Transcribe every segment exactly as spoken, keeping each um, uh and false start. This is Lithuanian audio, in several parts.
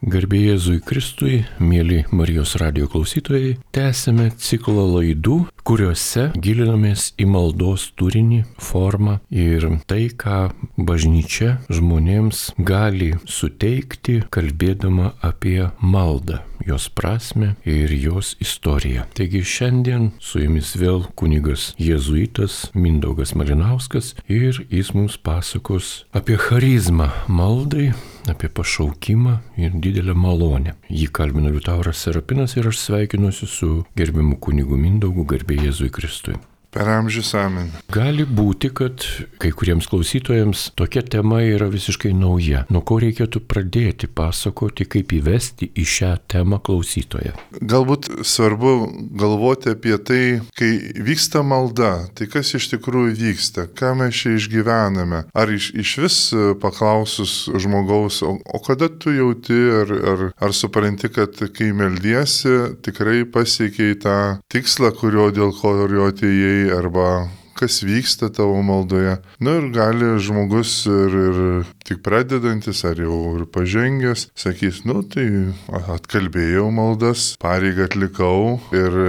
Garbė Jėzui Kristui, mėly Marijos radijo klausytojai, tęsime ciklą laidų, kuriuose gilinamės į maldos turinį, formą ir tai, ką bažnyčia žmonėms gali suteikti, kalbėdama apie maldą, jos prasme ir jos istoriją. Taigi šiandien su jumis vėl kunigas jėzuitas Mindaugas Malinauskas ir jis mums pasakos apie charizmą maldai, apie pašaukimą ir didelę malonę. Jį kalbina Liutauras Serapinas ir aš sveikinuosi su gerbiamu kunigu Mindaugu, garbė Jėzui Kristui. Per amžius amen. Gali būti, kad kai kuriems klausytojams tokia tema yra visiškai nauja. Nuo ko reikėtų pradėti pasakoti, kaip įvesti į šią temą klausytoją? Galbūt svarbu galvoti apie tai, kai vyksta malda, tai kas iš tikrųjų vyksta, ką mes čia išgyvename. Ar iš, iš vis paklausus žmogaus, o, o kada tu jauti, ar, ar, ar supranti, kad kai meldiesi, tikrai pasiekiai tą tikslą, kurio dėl kurio atėjai, arba kas vyksta tavo maldoje. Na ir gali žmogus ir, ir tik pradedantis, ar jau ir pažengęs, sakys, nu tai atkalbėjau maldas, pareigą atlikau ir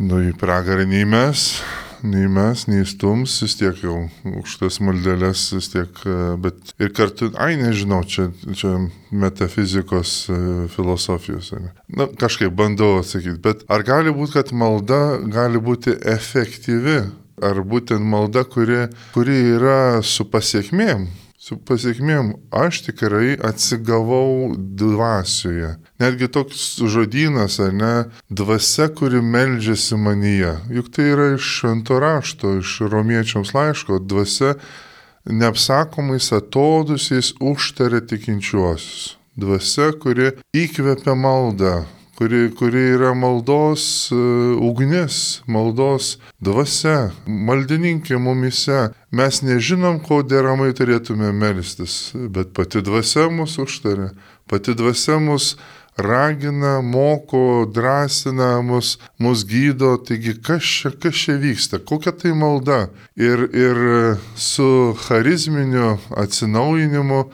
nu į pragarą nei mes, nei mes, nei stums, vis tiek jau už tas maldeles, vis tiek, bet ir kartu, ai nežinau, čia, čia metafizikos, filosofijos. Na, kažkaip bandau atsakyti, bet ar gali būti, kad malda gali būti efektyvi, ar būtent malda, kuri, kuri yra su pasiekmėm? Su pasiekmėm, aš tikrai atsigavau dvasioje. Netgi toks žodynas, ar ne, dvasia, kuri meldžiasi manyje. Juk tai yra iš švento rašto, iš romiečiams laiško. Dvasia neapsakomais atodusiais užtaria tikinčiuosius. Dvasia, kuri įkvepia maldą. Kuri, kuri yra maldos uh, ugnis, maldos dvasia, maldininkė mumise. Mes nežinom, ko deramai turėtume melstis, bet pati dvasia mus užtaria, pati dvasia mus ragina, moko, drąsina, mus, mus gydo. Taigi, kas čia, kas čia vyksta, kokia tai malda? Ir, ir su charizminiu atsinaujinimu,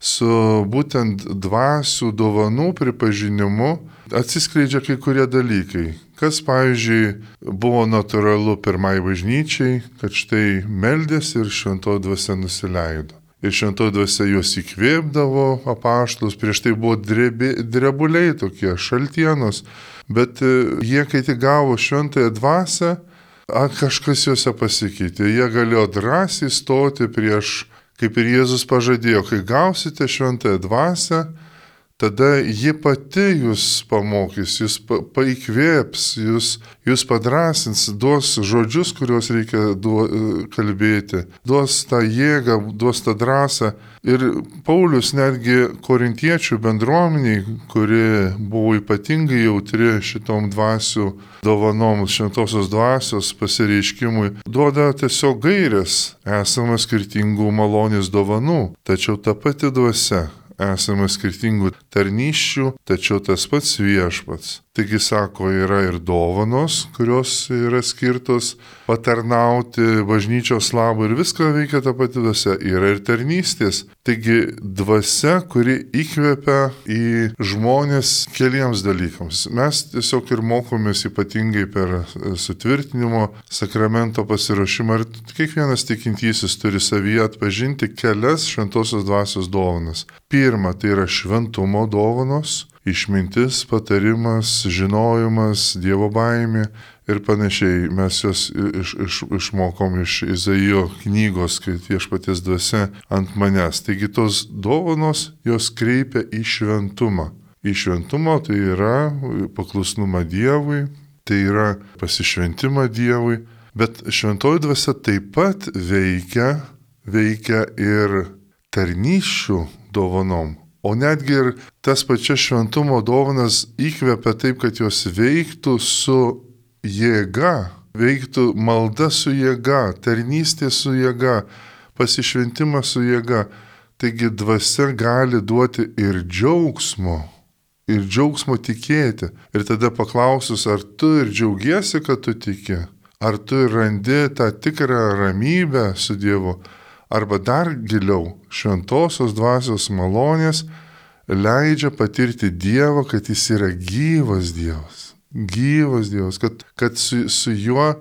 su būtent dvasių dovanų pripažinimu atsiskleidžia kai kurie dalykai. Kas, pavyzdžiui, buvo natūralu pirmai bažnyčiai, kad štai meldėsi ir šventoji dvasia nusileido. Ir šventoji dvasia juos įkvėpdavo apaštalus, prieš tai buvo drebi, drebuliai tokie, šaltienos, bet jie, kai tik gavo šventąją dvasią, kažkas juose pasikeitė. Jie galėjo drąsiai stoti prieš, kaip ir Jėzus pažadėjo, kai gausite šventąją dvasią, tada ji pati jūs pamokys, jūs paikvėps, jūs, jūs padrąsins, duos žodžius, kuriuos reikia duo, kalbėti, duos tą jėgą, duos tą drąsą. Ir Paulius netgi korintiečių bendruomeniai, kuri buvo ypatingai jautri šitom dvasių dovanom, šventosios dvasios pasireiškimui, duoda tiesiog gairės, esama skirtingų malonės dovanų, tačiau ta pati dvasia. Esame skirtingų tarnysčių, tačiau tas pats viešpats. Taigi, sako, yra ir dovanos, kurios yra skirtos patarnauti bažnyčios labui ir viską veikia ta pati dvasia. Yra ir tarnystės. Taigi, dvasia, kuri įkvepia į žmonės keliems dalykams. Mes tiesiog ir mokomės ypatingai per sutvirtinimo sakramento pasiruošimą. Ir kiekvienas tikintysis turi savyje atpažinti kelias šventosios dvasios dovanas. Pirma, tai yra šventumo dovanos. Išmintis, patarimas, žinojimas, Dievo baimė ir panašiai. Mes jos iš, iš, išmokom iš Izaijo knygos, kai viešpaties dvasia ant manęs. Taigi tos dovanos jos kreipia į šventumą. Į šventumą tai yra paklusnumą Dievui, tai yra pasišventimą Dievui, bet šventoji dvasia taip pat veikia, veikia ir tarnysčių dovanom. O netgi ir tas pačias šventumo dovanas įkvepia taip, kad jos veiktų su jėga, veiktų malda su jėga, tarnystė su jėga, pasišventimas su jėga. Taigi dvasia gali duoti ir džiaugsmo, ir džiaugsmo tikėti. Ir tada paklausus, ar tu ir džiaugiesi, kad tu tiki, ar tu ir randi tą tikrą ramybę su Dievu, arba dar giliau šventosios dvasios malonės leidžia patirti Dievą, kad jis yra gyvas Dievas. Gyvas Dievas, kad, kad su, su juo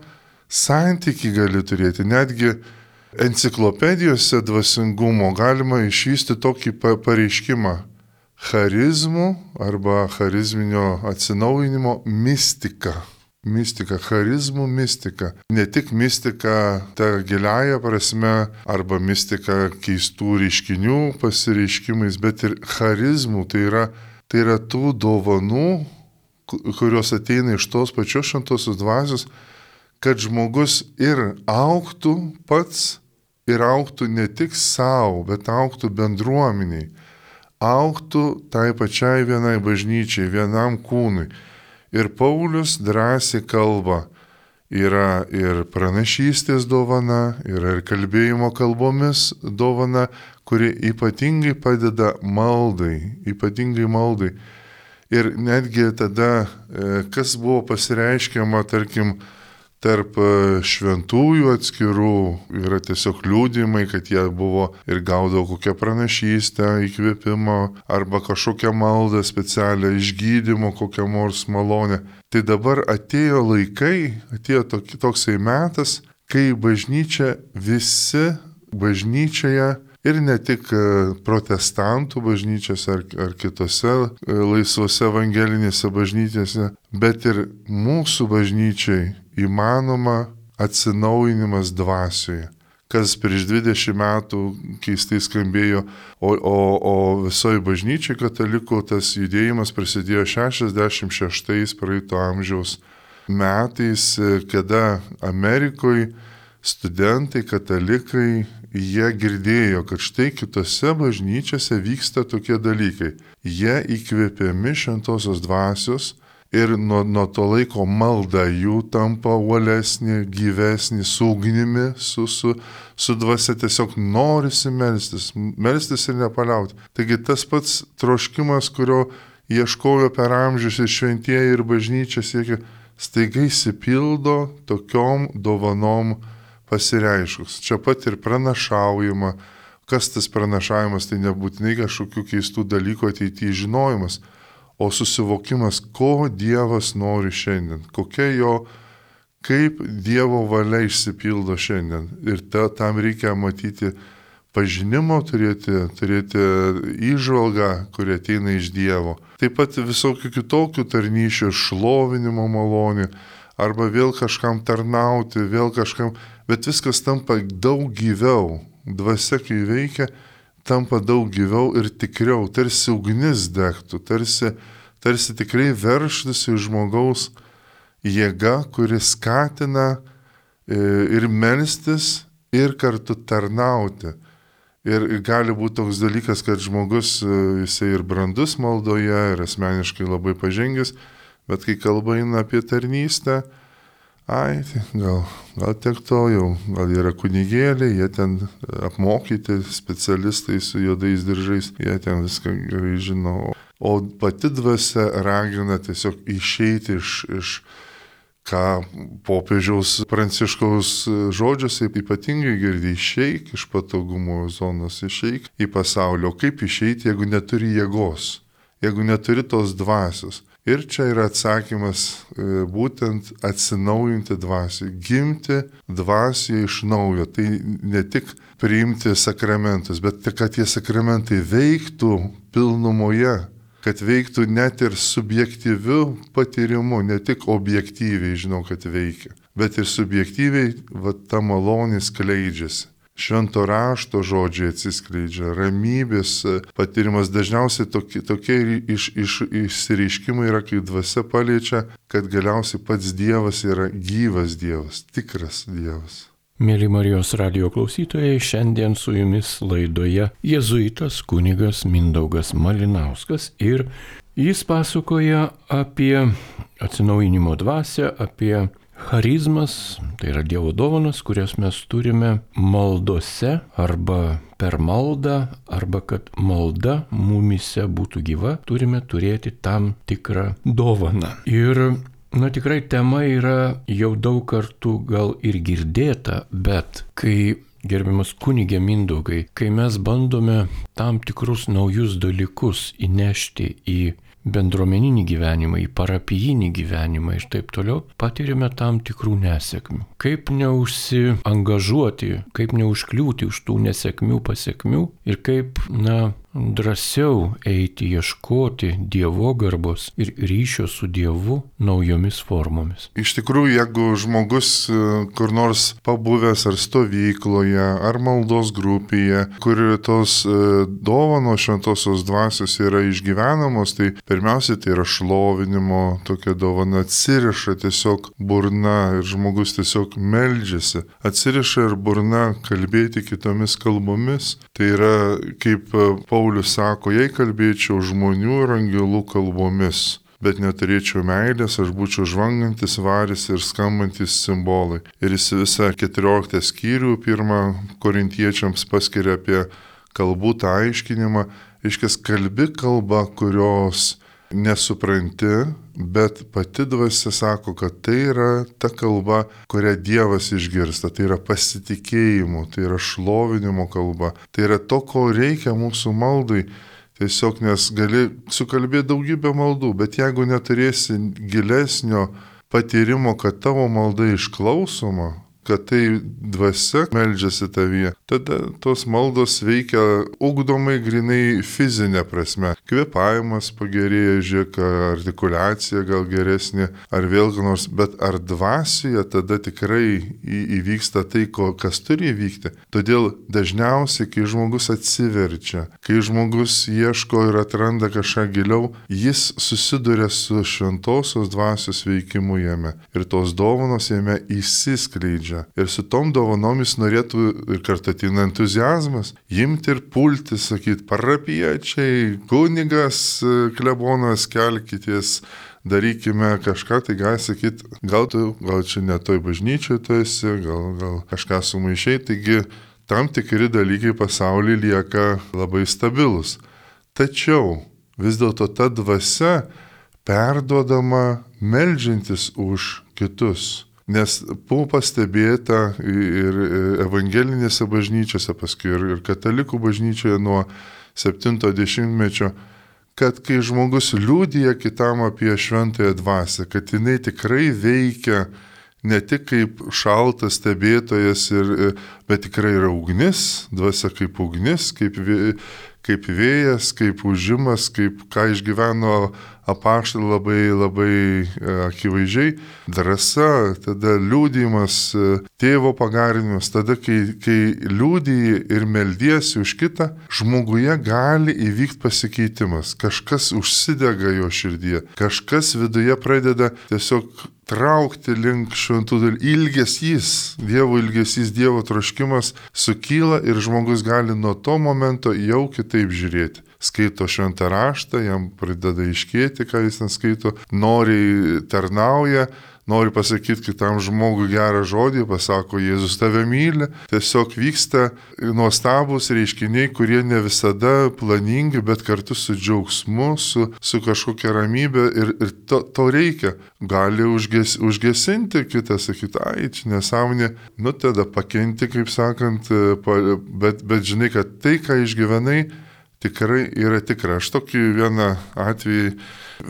santykį gali turėti. Netgi enciklopedijose dvasingumo galima išvysti tokį pareiškimą. Charizmų arba charizminio atsinaujinimo mistika. Mistika, charizmų mistika. Ne tik mistika ta giliaja prasme arba mistika keistų reiškinių pasireiškimais, bet ir charizmų. Tai yra, tai yra tų dovanų, kurios ateina iš tos pačios šventosios dvasios, kad žmogus ir augtų pats, ir augtų ne tik savo, bet augtų bendruomeniai. Augtų tai pačiai vienai bažnyčiai, vienam kūnui. Ir Paulius drąsiai kalba, yra ir pranašystės dovana, yra ir kalbėjimo kalbomis dovana, kuri ypatingai padeda maldai, ypatingai maldai. Ir netgi tada, kas buvo pasireiškiama, tarkim, tarp šventųjų atskirų, yra tiesiog liūdimai, kad jie buvo ir gaudavo kokią pranašystę, įkvėpimą arba kažkokią maldą specialią, išgydymo, kokią nors malonę. Tai dabar atėjo laikai, atėjo toksai metas, kai bažnyčia visi bažnyčioje ir ne tik protestantų bažnyčiose ar, ar kitose laisvose evangelinėse bažnyčiose, bet ir mūsų bažnyčiai įmanoma atsinaujinimas dvasioje, kas prieš dvidešimt metų keistai skambėjo, o, o, o visoje bažnyčiai katalikų tas judėjimas prasidėjo šešiasdešimt šeštais praeito amžiaus metais, kada Amerikoje studentai, katalikai, jie girdėjo, kad štai kitose bažnyčiose vyksta tokie dalykai. Jie įkvėpiami šventosios dvasios, ir nuo, nuo to laiko malda jų tampa uolesnė, gyvesnė, su ugnimi, su, su, su dvasia tiesiog norisi melstis, melstis ir nepaliauti. Taigi tas pats troškimas, kurio ieškojo per amžius ir šventieji ir bažnyčia siekia, staiga įsipildo tokiom dovanom pasireiškus. Čia pat ir pranašaujama. Kas tas pranašavimas, tai nebūtinai kažkokių keistų dalykų ateityje žinojimas, o susivokimas, ko Dievas nori šiandien, kokia jo, kaip Dievo valia išsipildo šiandien. Ir ta, tam reikia matyti pažinimo, turėti, turėti įžvalgą, kuri ateina iš Dievo. Taip pat visokių kitokių tarnyšių, šlovinimo malonių, arba vėl kažkam tarnauti, vėl kažkam, bet viskas tampa daug gyviau. Dvasia, kai veikia, tampa daug gyviau ir tikriau, tarsi ugnis degtų, tarsi, tarsi tikrai verštųsi žmogaus jėga, kuri skatina ir melstis, ir kartu tarnauti. Ir gali būti toks dalykas, kad žmogus, jisai ir brandus maldoje, ir asmeniškai labai pažengęs, bet kai kalba eina apie tarnystę, ai, gal, gal tiek to jau, gal yra kunigėliai, jie ten apmokyti specialistai su juodais diržais, jie ten viską gerai žino. O pati dvasia ragina tiesiog išeiti iš, iš ką popiežiaus Pranciškaus žodžiuose ypatingai girdi, išeik iš patogumo zonos, išeik į pasaulį. O kaip išeiti, jeigu neturi jėgos, jeigu neturi tos dvasios? Ir čia yra atsakymas būtent atsinaujinti dvasią, gimti dvasią iš naujo. Tai ne tik priimti sakramentus, bet kad tie sakramentai veiktų pilnumoje, kad veiktų net ir subjektyviu patyrimu, ne tik objektyviai žinau, kad veikia, bet ir subjektyviai va, ta malonė skleidžiasi. Švento rašto žodžiai atsiskleidžia, ramybės patyrimas, dažniausiai tokie, tokie iš, iš, išsireiškimai yra, kai dvasia paliečia, kad galiausiai pats Dievas yra gyvas Dievas, tikras Dievas. Mėly Marijos radijo klausytojai, šiandien su jumis laidoje jėzuitas kunigas Mindaugas Malinauskas ir jis pasakoja apie atsinaujinimo dvasią, apie charizmas, tai yra Dievo dovanas, kurias mes turime maldose arba per maldą, arba kad malda mumise būtų gyva, turime turėti tam tikrą dovaną. Ir, na tikrai tema yra jau daug kartų gal ir girdėta, bet kai gerbiamas kunigė Mindaugai, kai mes bandome tam tikrus naujus dalykus įnešti į bendruomeninį gyvenimą, į parapijinį gyvenimą ir taip toliau, patiriame tam tikrų nesėkmių. Kaip neužsiangažuoti, kaip neužkliūti už tų nesėkmių pasiekmių ir kaip, na, drąsiau eiti ieškoti dievogarbos ir ryšio su Dievu naujomis formomis. Iš tikrųjų, jeigu žmogus kur nors pabuvęs ar stovykloje, ar maldos grupėje, kur tos dovanos šventosios dvasios yra išgyvenamos, tai pirmiausia, tai yra šlovinimo tokia dovana, atsiriša tiesiog burna ir žmogus tiesiog meldžiasi. Atsiriša ir burna kalbėti kitomis kalbomis. Tai yra, kaip Paulius sako, jei kalbėčiau žmonių ir angelų kalbomis, bet neturėčiau meilės, aš būčiau žvangantis varis ir skambantis simbolai. Ir jis visą keturioliktą skyrių pirmą korintiečiams paskiria apie kalbų tą aiškinimą. Iškės kalbi kalba, kurios nesupranti, bet pati dvasia sako, kad tai yra ta kalba, kurią Dievas išgirsta. Tai yra pasitikėjimo, tai yra šlovinimo kalba. Tai yra to, ko reikia mūsų maldai. Tiesiog nes gali sukalbėti daugybę maldų, bet jeigu neturėsi gilesnio patyrimo, kad tavo malda išklausoma, kad tai dvasia meldžiasi tavyje, tada tos maldos veikia ugdomai grinai fizinė prasme. Kvėpavimas pagerėja, žiūrėk, artikuliacija gal geresnė, ar vėl nors, bet ar dvasioje tada tikrai įvyksta tai, ko, kas turi įvykti. Todėl dažniausiai, kai žmogus atsiverčia, kai žmogus ieško ir atranda kažką giliau, jis susiduria su šventosios dvasios veikimu jame. Ir tos dovanos jame įsiskleidžia. Ir su tom dovanomis norėtų ir kartu ateina entuziazmas, imti ir pulti, sakyti, parapiečiai, kunigas, klebonas, kelkitės, darykime kažką, tai gali sakyti, gal tu, gal čia ne toj bažnyčioj tu esi, gal, gal kažką sumaišiai, taigi tam tikri dalykai pasaulyje lieka labai stabilus. Tačiau vis dėlto ta dvasia perduodama meldžiantis už kitus. Nes buvo pastebėta ir evangelinėse bažnyčiose, paskui ir, ir katalikų bažnyčioje nuo septinto dešimtmečio, kad kai žmogus liudija kitam apie šventąją dvasią, kad jinai tikrai veikia ne tik kaip šaltas stebėtojas, ir, bet tikrai yra ugnis, dvasia kaip ugnis, kaip, kaip vėjas, kaip užimas, kaip ką išgyveno apaštalai labai, labai akivaizdžiai, drąsa, tada liūdimas, tėvo pagarinimas, tada, kai, kai liūdiji ir meldiesi už kitą, žmoguje gali įvykti pasikeitimas, kažkas užsidega jo širdyje, kažkas viduje pradeda tiesiog traukti link šventų dalykų, ilgesys, Dievo ilgesys, Dievo troškimas sukyla ir žmogus gali nuo to momento jau kitaip žiūrėti. Skaito šventą raštą, jam pradeda iškėti, ką jis ten skaito, noriai tarnauja, nori pasakyti kitam žmogui gerą žodį, pasako, Jėzus tave myli. Tiesiog vyksta nuostabūs reiškiniai, kurie ne visada planingi, bet kartu su džiaugsmu, su, su kažkokia ramybė ir, ir to, to reikia. Gali užges, užgesinti kitą, sakyti, ai, čia nesąmonė, nu tada pakenti, kaip sakant, bet, bet žinai, kad tai, ką išgyvenai, tikrai yra tikra. Aš tokį vieną atvejį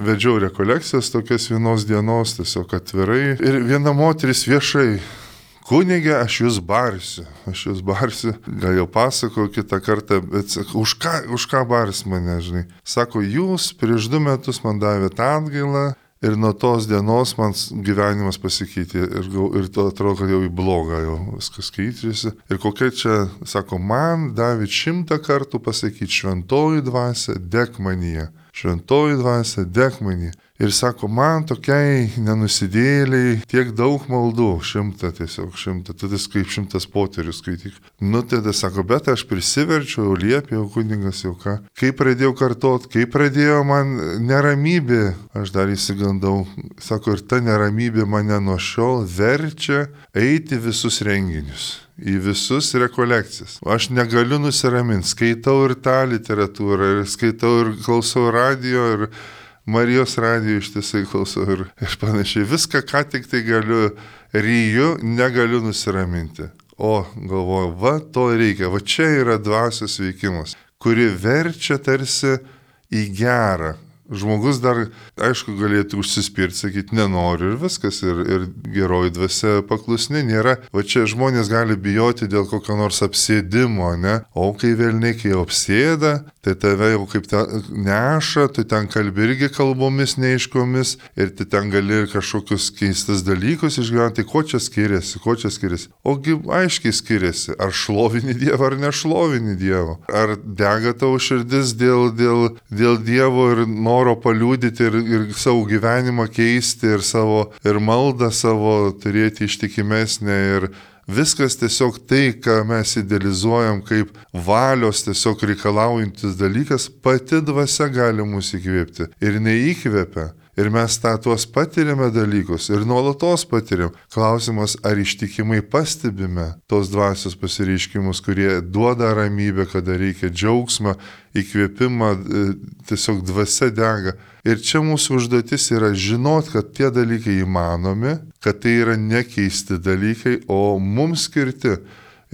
vedžiau rekolekcijas tokias vienos dienos, tiesiog atvirai. Ir viena moteris viešai, kunigė, aš jūs barsiu, aš jūs barsiu. Gal jau pasakau kitą kartą, bet sako, už ką, už ką bars mane, žinai. Sako, jūs prieš du metus man davėte atgailą ir nuo tos dienos man gyvenimas pasikeitė ir, ir to atrodo, kad jau į blogą jau viskas keičiasi. Ir kokia čia, sako, man davė šimtą kartų pasakyti, šventoji dvasia, dek manyje. Šventoji dvasia, dek manyje. Ir sako, man tokiai nenusidėliai tiek daug maldų, šimtą tiesiog, šimtą, tada kaip šimtas poterių skaityk. Nu, tada sako, bet aš prisiverčiau, liepėjau, kunigas jau ką. Kai pradėjau kartot, kai pradėjo man neramybė, aš dar įsigandau, sako, ir ta neramybė mane nuo šiol verčia eiti visus renginius. Į visus rekolekcijas. Aš negaliu nusiraminti, skaitau ir tą literatūrą, ir skaitau ir klausau radijo, ir Marijos radijo ištisai klausau ir, ir panašiai. Viską, ką tik tai galiu, ryju, negaliu nusiraminti. O, galvoju, va, to reikia, va čia yra dvasios veikimas, kuri verčia tarsi į gerą. Žmogus dar, aišku, galėtų užsispirti, sakyti, nenoriu ir viskas, ir, ir geroji dvasia paklusni nėra. Va čia žmonės gali bijoti dėl kokio nors apsėdimo, ne? O kai velniai, kai apsėda, tai tave jau kaip neša, tu ten kalbi irgi kalbomis neiškomis ir tu ten gali kažkokius keistus dalykus išgyventi. Tai ko čia skiriasi, ko čia skiriasi? Ogi aiškiai skiriasi, ar šlovini Dievą, ar nešlovini Dievo. Ar dega tavo širdis dėl, dėl, dėl Dievo ir noro paliūdyti ir, ir savo gyvenimą keisti ir savo ir maldą savo turėti ištikimesnę ir viskas tiesiog tai, ką mes idealizuojam kaip valios tiesiog reikalaujantis dalykas, pati dvasia gali mus įkvėpti ir neįkvėpia. Ir mes tą tuos patiriame dalykus ir nuolatos patiriam. Klausimas, ar ištikimai pastebime tos dvasios pasireiškimus, kurie duoda ramybę, kada reikia džiaugsmą, įkvėpimą, tiesiog dvasia dega. Ir čia mūsų užduotis yra žinot, kad tie dalykai įmanomi, kad tai yra nekeisti dalykai, o mums skirti.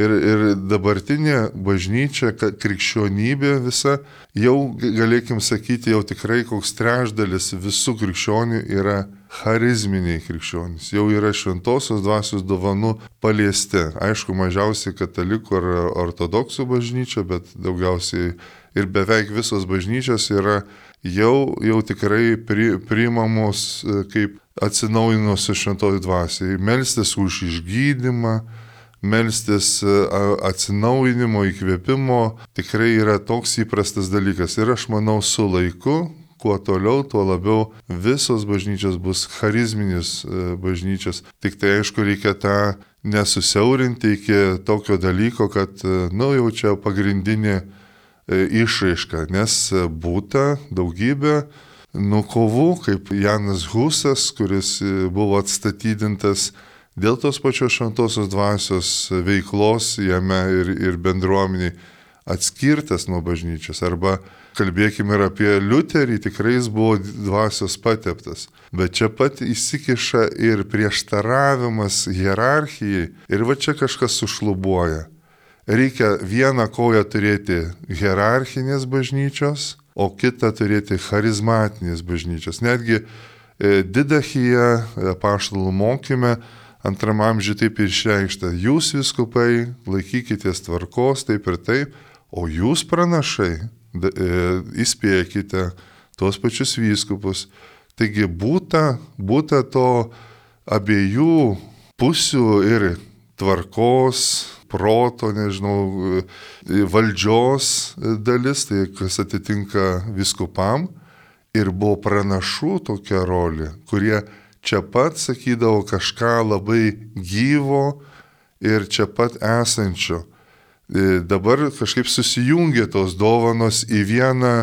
Ir, ir dabartinė bažnyčia, krikščionybė visa, jau galėkim sakyti, jau tikrai koks trečdalis visų krikščionių yra charizminiai krikščionys, jau yra šventosios dvasios dovanų paliesti. Aišku, mažiausiai katalikų ar ortodoksų bažnyčia, bet daugiausiai ir beveik visos bažnyčios yra jau, jau tikrai pri, priimamos kaip atsinaujinusios šventoj dvasiai. Melstis už išgydymą, melstis atsinaujinimo, įkvėpimo tikrai yra toks įprastas dalykas. Ir aš manau, su laiku, kuo toliau, tuo labiau visos bažnyčios bus charizminis bažnyčios. Tik tai aišku, reikia tą nesusiaurinti iki tokio dalyko, kad, nu, jau čia pagrindinė išraiška, nes būta daugybė nukovų, kaip Janas Husas, kuris buvo atstatydintas dėl tos pačios šventosios dvasios veiklos jame ir, ir bendruomeniai atskirtas nuo bažnyčios. Arba kalbėkime ir apie Liuterį, tikrai jis buvo dvasios pateptas. Bet čia pat įsikiša ir prieštaravimas hierarchijai ir va čia kažkas sušlubuoja. Reikia vieną koją turėti hierarchinės bažnyčios, o kitą turėti charizmatinės bažnyčios. Netgi e, Didachija, apaštalų mokyme, antram amžiui taip ir išreikšta, jūs vyskupai laikykitės tvarkos taip ir taip, o jūs pranašai da, e, įspėkite tuos pačius vyskupus. Taigi būta, būta to abiejų pusių ir tvarkos, proto, nežinau, valdžios dalis, tai kas atitinka vyskupam, ir buvo pranašų tokia rolė, kurie čia pat sakydavo kažką labai gyvo ir čia pat esančio. Dabar kažkaip susijungė tos dovanos į vieną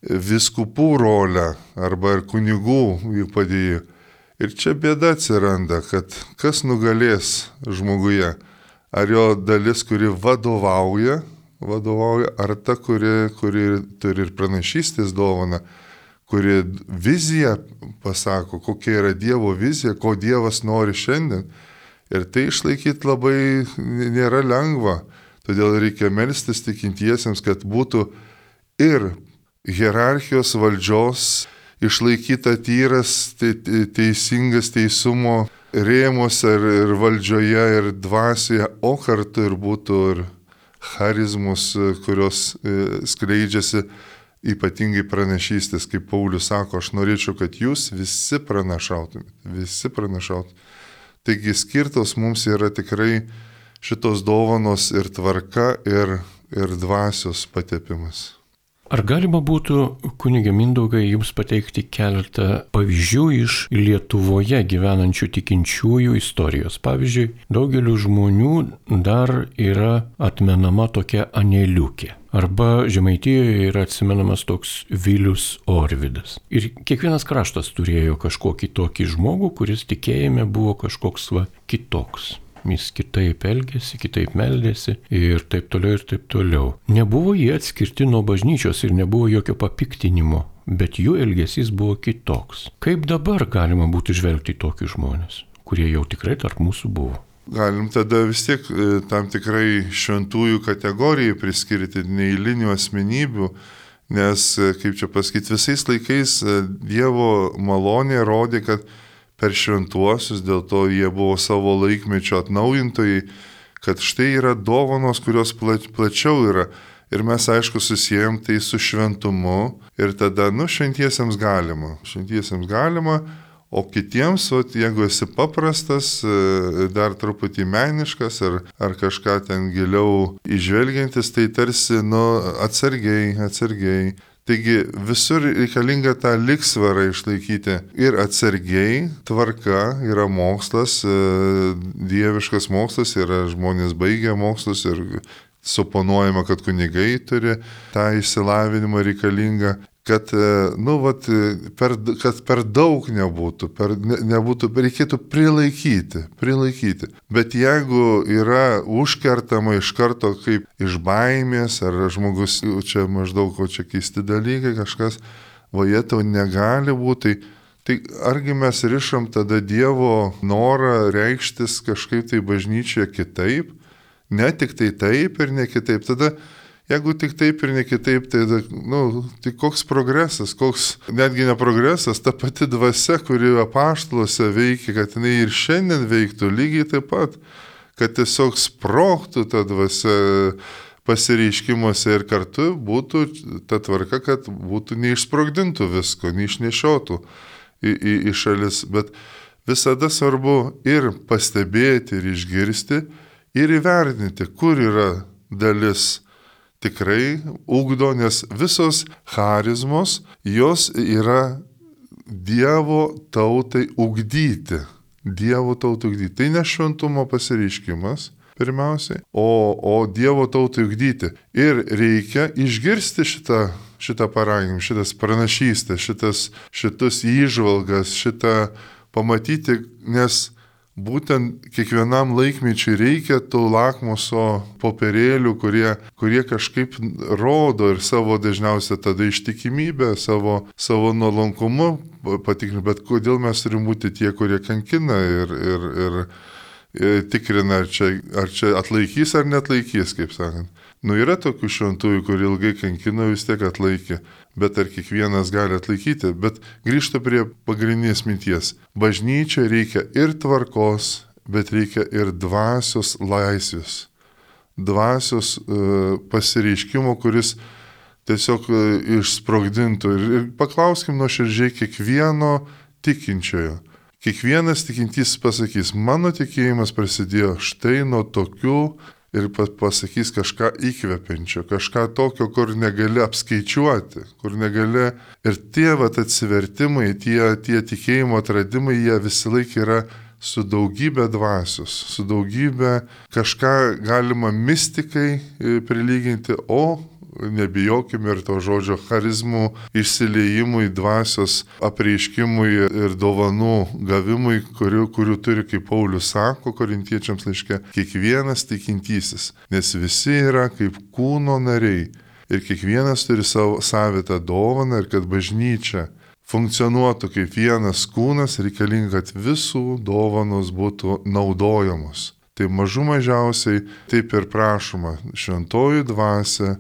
vyskupų rolę arba ir kunigų jų padėjo. Ir čia bėda atsiranda, kad kas nugalės žmoguje. Ar jo dalis, kuri vadovauja, vadovauja ar ta, kuri, kuri turi ir pranašystės dovaną, kuri viziją pasako, kokia yra Dievo vizija, ko Dievas nori šiandien. Ir tai išlaikyti labai nėra lengva. Todėl reikia melstis tikintiesiems, kad būtų ir hierarchijos valdžios išlaikyta tyras, te, teisingas teisumo rėmuose ir, ir valdžioje ir dvasioje, o kartu ir būtų ir charizmus, kurios e, skleidžiasi ypatingai pranašystės, kaip Paulius sako, aš norėčiau, kad jūs visi pranašautumėte, visi pranašautumėte. Taigi skirtos mums yra tikrai šitos dovanos ir tvarka, ir, ir dvasios patepimas. Ar galima būtų, kunige Mindaugai, jums pateikti keletą pavyzdžių iš Lietuvoje gyvenančių tikinčiųjų istorijos? Pavyzdžiui, daugeliu žmonių dar yra atmenama tokia Aneliukė. Arba Žemaitijoje yra atsimenamas toks Vilius Orvidas. Ir kiekvienas kraštas turėjo kažkokį tokį žmogų, kuris tikėjime buvo kažkoks va kitoks. Jis kitaip elgėsi, kitaip meldėsi ir taip toliau ir taip toliau. Nebuvo jie atskirti nuo bažnyčios ir nebuvo jokio papiktinimo, bet jų elgesys buvo kitoks. Kaip dabar galima būtų žvelgti į tokius žmonės, kurie jau tikrai tarp mūsų buvo? galim tada vis tiek tam tikrai šventųjų kategorijai priskirti neeilinių asmenybių, nes, kaip čia pasakyti, visais laikais Dievo malonė rodė, kad per šventuosius, dėl to jie buvo savo laikmečio atnaujintojai, kad štai yra dovanos, kurios plačiau yra. Ir mes, aišku, susijęm tai su šventumu ir tada, nu, šventiesiems galima. Šventiesiems galima, o kitiems, o jeigu esi paprastas, dar truputį meniškas ar, ar kažką ten giliau įžvelgiantis, tai tarsi, nu, atsargiai, atsargiai. Taigi visur reikalinga tą lygsvarą išlaikyti. Ir atsargiai, tvarka, yra mokslas, dieviškas mokslas, yra žmonės baigę mokslus ir suponuojama, kad kunigai turi tą išsilavinimą reikalingą, kad, nu, vat, per, kad per daug nebūtų, per, ne, nebūtų, reikėtų prilaikyti, prilaikyti. Bet jeigu yra užkertama iš karto kaip iš baimės, ar žmogus čia maždaug, o čia keisti dalykai, kažkas, va jie tau negali būti, tai, tai argi mes rišam tada Dievo norą reikštis kažkaip tai bažnyčioje kitaip? Ne tik tai taip ir ne kitaip. Tada, jeigu tik taip ir ne kitaip, tai, nu, tai koks progresas, koks netgi ne progresas, ta pati dvasia, kuri apaštaluose veikia, kad jinai ir šiandien veiktų lygiai taip pat, kad tiesiog sprogtų ta dvasia pasireiškimuose ir kartu būtų ta tvarka, kad būtų neišsprogdintų visko, neišnešiotų į, į, į šalis. Bet visada svarbu ir pastebėti, ir išgirsti, ir įvertinti, kur yra dalis tikrai ugdo, nes visos charizmos, jos yra Dievo tautai ugdyti. Dievo tautai ugdyti. Tai ne šventumo pasireiškimas pirmiausiai, o, o Dievo tautai ugdyti. Ir reikia išgirsti šitą, šitą paraginimą, šitas pranašystę, šitas, šitus įžvalgas, šitą pamatyti, nes būtent kiekvienam laikmečiui reikia tų lakmuso popierėlių, kurie, kurie kažkaip rodo ir savo dažniausiai tada ištikimybę, savo, savo nuolankumu patikrinti, bet kodėl mes turim būti tie, kurie kankina ir, ir, ir, ir tikrina, ar čia, ar čia atlaikys ar netlaikys, kaip sakant. Nu, yra tokių šventųjų, kurie ilgai kankino, vis tiek atlaikė, bet ar kiekvienas gali atlaikyti, bet grįžta prie pagrindinės minties. Bažnyčia reikia ir tvarkos, bet reikia ir dvasios laisvės. Dvasios uh, pasireiškimo, kuris tiesiog uh, išsprogdintų. Ir, ir paklauskim nuoširdžiai kiekvieno tikinčiojo. Kiekvienas tikintysis pasakys, mano tikėjimas prasidėjo štai nuo tokių, ir pasakys kažką įkvepiančio, kažką tokio, kur negali apskaičiuoti, kur negali. Ir tie vat atsivertimai, tie, tie tikėjimo atradimai, jie visi laik yra su daugybė dvasios, su daugybė kažką galima mistikai prilyginti, o nebijokime ir to žodžio charizmų išsiliejimui, dvasios apreiškimui ir dovanų gavimui, kurių, kurių turi, kaip Paulius sako korintiečiams laiške, kiekvienas tikintysis, nes visi yra kaip kūno nariai ir kiekvienas turi savo savitą dovaną ir kad bažnyčia funkcionuotų kaip vienas kūnas, reikalinga, kad visų dovanos būtų naudojamos. Tai mažų mažiausiai taip ir prašoma, šventoji dvasia,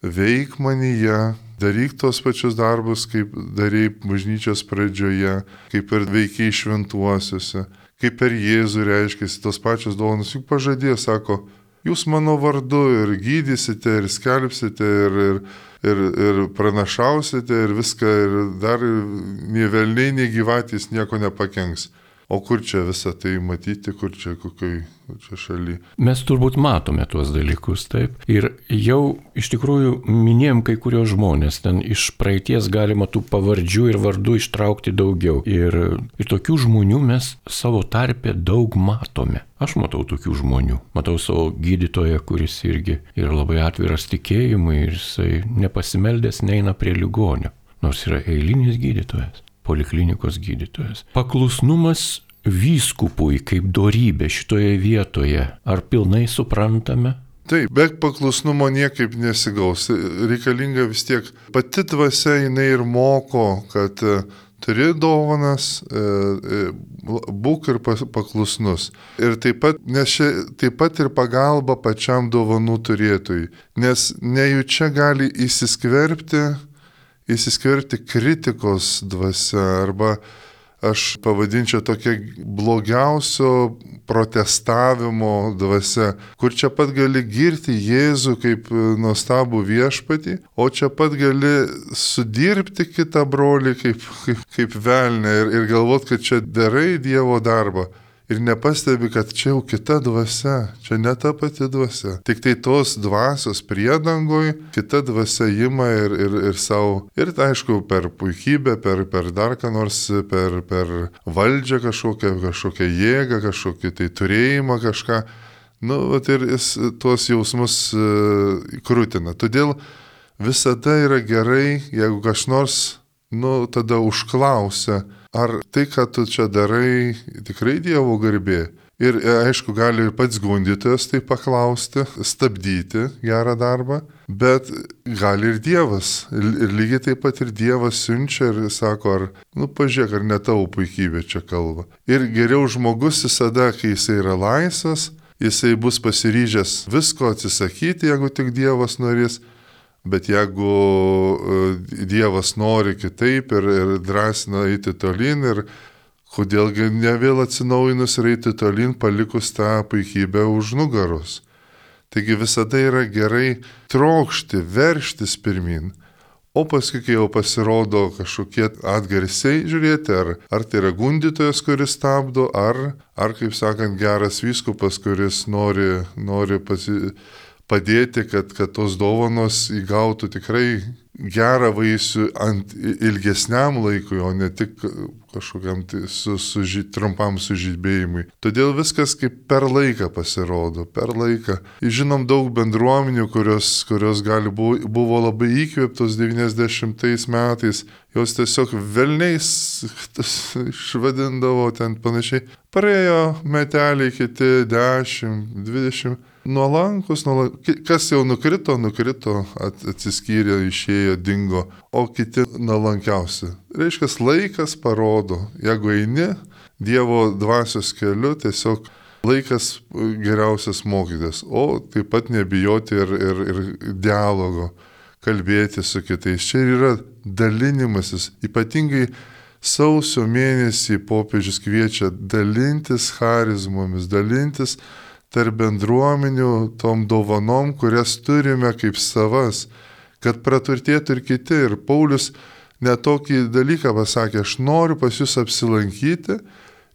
veik manyje, daryk tos pačius darbus, kaip darei bažnyčios pradžioje, kaip ir veikiai šventuosiuose, kaip per Jėzų reiškėsi tos pačios dovanos. Juk pažadėjo, sako, jūs mano vardu ir gydysite, ir skelbsite, ir, ir, ir, ir pranašausite, ir viską, ir dar nei velniai, nei gyvatys nieko nepakenks. O kur čia visą tai matyti, kur čia kokioj čia šaly? Mes turbūt matome tuos dalykus, taip. Ir jau iš tikrųjų minėjom kai kurios žmonės, ten iš praeities galima tų pavardžių ir vardų ištraukti daugiau. Ir, ir tokių žmonių mes savo tarpe daug matome. Aš matau tokių žmonių. Matau savo gydytoją, kuris irgi yra labai atviras tikėjimui ir jisai nepasimeldęs neina prie ligonio, nors yra eilinis gydytojas. Poliklinikos gydytojas. Paklusnumas vyskupui kaip dorybė šitoje vietoje. Ar pilnai suprantame? Taip, be paklusnumo niekaip nesigaus. Reikalinga vis tiek pati dvasia, jinai ir moko, kad turi dovanas, būk ir paklusnus. Ir taip pat, nes čia taip pat ir pagalba pačiam dovanų turėtojui, nes nejučia gali įsiskverbti, įsiskverbti kritikos dvasia arba aš pavadinčiau tokia blogiausio protestavimo dvasia, kur čia pat gali girti Jėzų kaip nuostabų viešpatį, o čia pat gali sudirbti kitą brolį kaip, kaip, kaip velnę ir, ir galvot, kad čia darai Dievo darbą. Ir nepastebi, kad čia jau kita dvasia, čia ne ta pati dvasia. Tik tai tos dvasios priedangoj kita dvasia ima ir, ir, ir savo, ir tai aišku, per puikybę, per, per dar ką nors, per, per valdžią kažkokią, kažkokią jėgą, kažkokį tai turėjimą kažką. Nu, vat ir jis tuos jausmus uh, krūtina. Todėl visada yra gerai, jeigu kas nors, nu, tada užklausia, ar tai, ką tu čia darai, tikrai Dievo garbė. Ir aišku, gali ir pats gundytojas tai paklausti, stabdyti gerą darbą, bet gali ir Dievas. Ir lygiai taip pat ir Dievas siunčia ir sako, ar, nu, pažiūrėk, ar ne tavo puikybė čia kalba. Ir geriau žmogus visada, kai jisai yra laisvas, jisai bus pasiryžęs visko atsisakyti, jeigu tik Dievas norės. Bet jeigu Dievas nori kitaip ir, ir drąsina eiti tolyn, ir kodėlgi ne vėl atsinaujinus ir eiti tolyn, palikus tą puikybę už nugaros. Taigi visada yra gerai trokšti, verštis pirmin, o paskui, kai jau pasirodo kažkokie atgarsiai, žiūrėti, ar, ar tai yra gundytojas, kuris stabdo, ar, ar kaip sakant, geras vyskupas, kuris nori, nori pasi... padėti, kad, kad tos dovanos įgautų tikrai gerą vaisių ant ilgesniam laikui, o ne tik kažkokiam su, su, trumpam sužibėjimui. Todėl viskas kaip per laiką pasirodo, per laiką. Žinom daug bendruomenių, kurios, kurios gali buvo, buvo labai įkvėptos devyniasdešimtais metais, jos tiesiog velniais išvadindavo ten panašiai. Praėjo meteliai kiti dešimt, dvidešimt. Nuolankus, nuolankus, kas jau nukrito, nukrito, atsiskyrė, išėjo, dingo, o kiti nuolankiausi. Reiškia, laikas parodo, jeigu eini Dievo dvasios keliu, tiesiog laikas geriausias mokytis, o taip pat nebijoti ir, ir, ir dialogo, kalbėti su kitais. Čia yra dalinimasis, ypatingai sausio mėnesį popiežius kviečia dalintis charizmomis, dalintis tarp bendruomenių tom dovanom, kurias turime kaip savas, kad praturtėtų ir kiti. Ir Paulius netokį dalyką pasakė, aš noriu pas jūs apsilankyti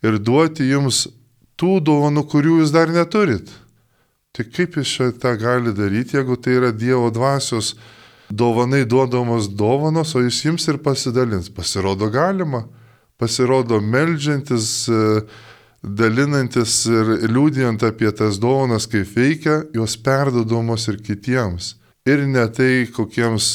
ir duoti jums tų dovanų, kurių jūs dar neturit. Tai kaip jis čia tą gali daryti, jeigu tai yra Dievo dvasios dovanai duodamos dovanos, o jis jums ir pasidalins. Pasirodo galima, pasirodo meldžiantis, dalinantis ir liūdijant apie tas dovanas, kaip veikia, jos perduodamos ir kitiems. Ir ne tai kokiems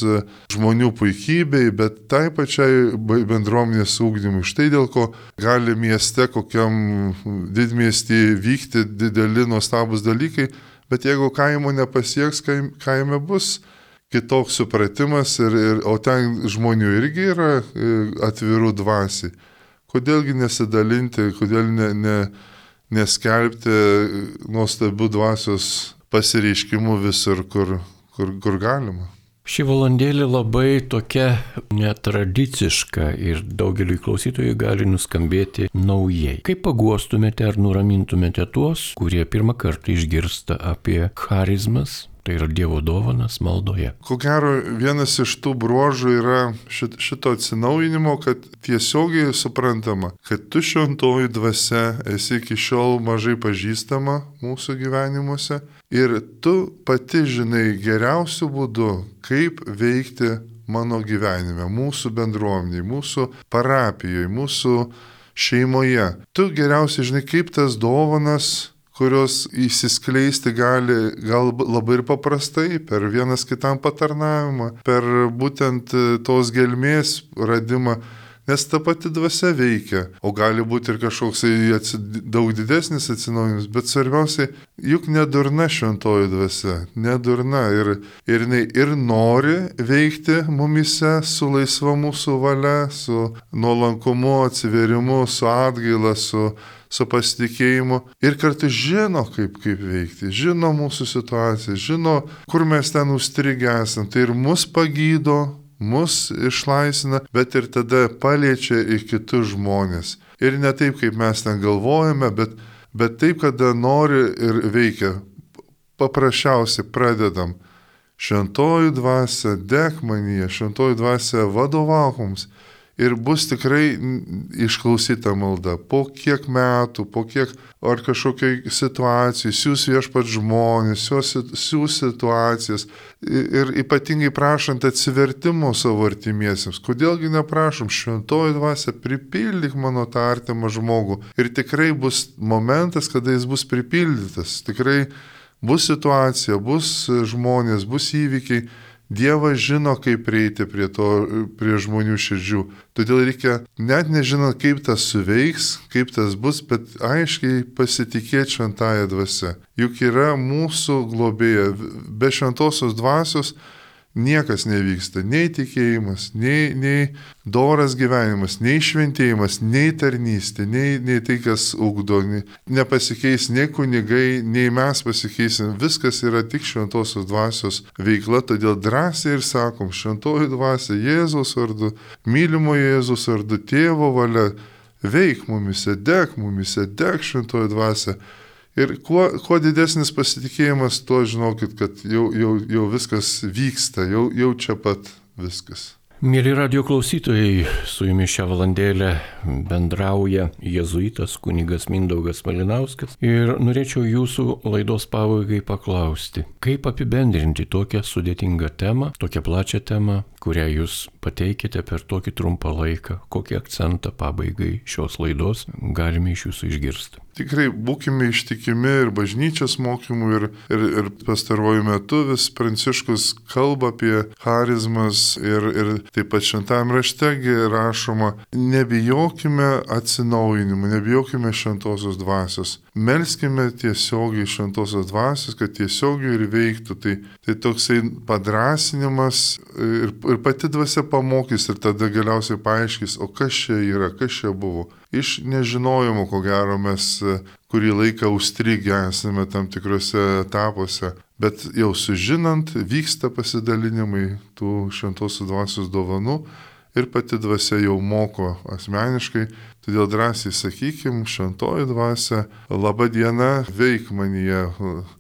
žmonių puikybei, bet tai pačiai bendruomenės ūkdymui. Štai dėl ko gali mieste, kokiam didmiestį vykti dideli nuostabus dalykai, bet jeigu kaimo nepasieks, kaime bus kitoks supratimas, ir, ir, o ten žmonių irgi yra atvirų dvasiai. Kodėlgi nesidalinti, kodėl ne, ne, neskelbti nuostabių dvasios pasireiškimų visur, kur, kur, kur galima. Ši valandėlė labai tokia netradiciška ir daugeliui klausytojų gali nuskambėti naujai. Kaip paguostumėte ar nuramintumėte tuos, kurie pirmą kartą išgirsta apie charizmas? Tai yra Dievo dovanas maldoje. Ko gero, vienas iš tų bruožų yra šito atsinaujinimo, kad tiesiogiai suprantama, kad tu šventoji dvasia esi iki šiol mažai pažįstama mūsų gyvenimuose ir tu pati žinai geriausių būdų, kaip veikti mano gyvenime, mūsų bendruomeniai, mūsų parapijoje, mūsų šeimoje. Tu geriausiai žinai, kaip tas dovanas, kurios įsiskleisti gali gal labai ir paprastai, per vienas kitam patarnavimą, per būtent tos gelmės radimą. nes ta pati dvasia veikia, o gali būti ir kažkoks daug didesnis atsinaujinimas, bet svarbiausia, juk nedurna šventoji dvasia, nedurna ir, ir jinai ir nori veikti mumise su laisva mūsų valia, su nuolankumu, atsiverimu, su atgaila, su su pasitikėjimu ir kartu žino, kaip, kaip veikti, žino mūsų situaciją, žino, kur mes ten užstrigę esam. Tai ir mus pagydo, mus išlaisvina, bet ir tada paliečia į kitus žmonės. Ir ne taip, kaip mes ten galvojame, bet, bet taip, kada nori ir veikia. Paprasčiausiai pradedam. Šventoji dvasia, dek manyje, šventoji dvasia vadovauk mums. Ir bus tikrai išklausyta malda. Po kiek metų, po kiek ar kažkokiai situacijai, siūs viešpat žmonės, siūs situacijas. Ir ypatingai prašant atsivertimo savo artimiesiems. Kodėlgi neprašom, šventoji dvasia, pripildyk mano tą artimą žmogų. Ir tikrai bus momentas, kada jis bus pripildytas. Tikrai bus situacija, bus žmonės, bus įvykiai. Dievas žino, kaip prieiti prie, to, prie žmonių širdžių. Todėl reikia net nežinant, kaip tas suveiks, kaip tas bus, bet aiškiai pasitikėti šventąją dvasią. Juk yra mūsų globėja. Be šventosios dvasios niekas nevyksta. Nei tikėjimas, nei, nei doras gyvenimas, nei šventėjimas, nei tarnystė, nei, nei tai, kas ugdo. Nepasikeis nei kunigai, nei mes pasikeisim. Viskas yra tik šventosios dvasios veikla, todėl drąsiai ir sakom, šventoji dvasia Jėzaus vardu, mylimo Jėzaus vardu, tėvo valia, veik mumise, dek mumise, dek šventoji dvasia. Ir kuo, kuo didesnis pasitikėjimas, tuo žinokit, kad jau, jau, jau viskas vyksta, jau, jau čia pat viskas. Mėly radio klausytojai, su jumis šią valandėlę bendrauja jėzuitas kunigas Mindaugas Malinauskas ir norėčiau jūsų laidos pabaigai paklausti, kaip apibendrinti tokią sudėtingą temą, tokią plačią temą, kurią jūs pateikėte per tokį trumpą laiką, kokį akcentą pabaigai šios laidos galime iš jūsų išgirsti. Tikrai būkime ištikimi ir bažnyčios mokymų ir, ir, ir pastaruoju metu vis Pranciškus kalba apie charizmas ir, ir taip pat šventame raštegi rašoma, nebijokime atsinaujinimų, nebijokime šventosios dvasios. Melskime tiesiogiai šventosios dvasios, kad tiesiogiai ir veiktų. Tai, tai toksai padrasinimas ir, ir pati dvasia pamokys ir tada galiausiai paaiškis, o kas čia yra, kas čia buvo. Iš nežinojimo, ko gero, mes kurį laiką užstrigę esame tam tikrose etapuose, bet jau sužinant, vyksta pasidalinimai tų šventosios dvasios dovanų ir pati dvasia jau moko asmeniškai, todėl drąsiai sakykim, šventoji dvasia, laba diena, veik manyje,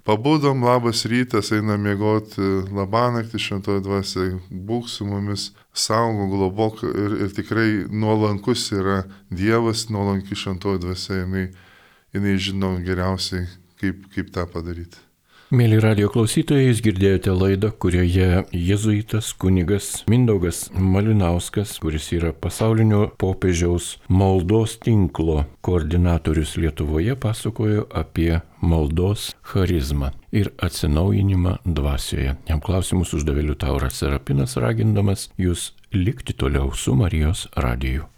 pabudom, labas rytas, einam miegoti, labanakti šventoji dvasia, būk su mumis, saugo, globok ir, ir tikrai nuolankus yra Dievas, nuolanki šventoji dvasia, jinai, jinai žino geriausiai, kaip, kaip tą padaryti. Mėly radio klausytojai, jūs girdėjote laidą, kurioje jėzuitas kunigas Mindaugas Malinauskas, kuris yra pasaulinio popiežiaus maldos tinklo koordinatorius Lietuvoje, pasakojo apie maldos charizmą ir atsinaujinimą dvasioje. Jam klausimus uždavė Liutauras Serapinas, ragindamas jūs likti toliau su Marijos radiju.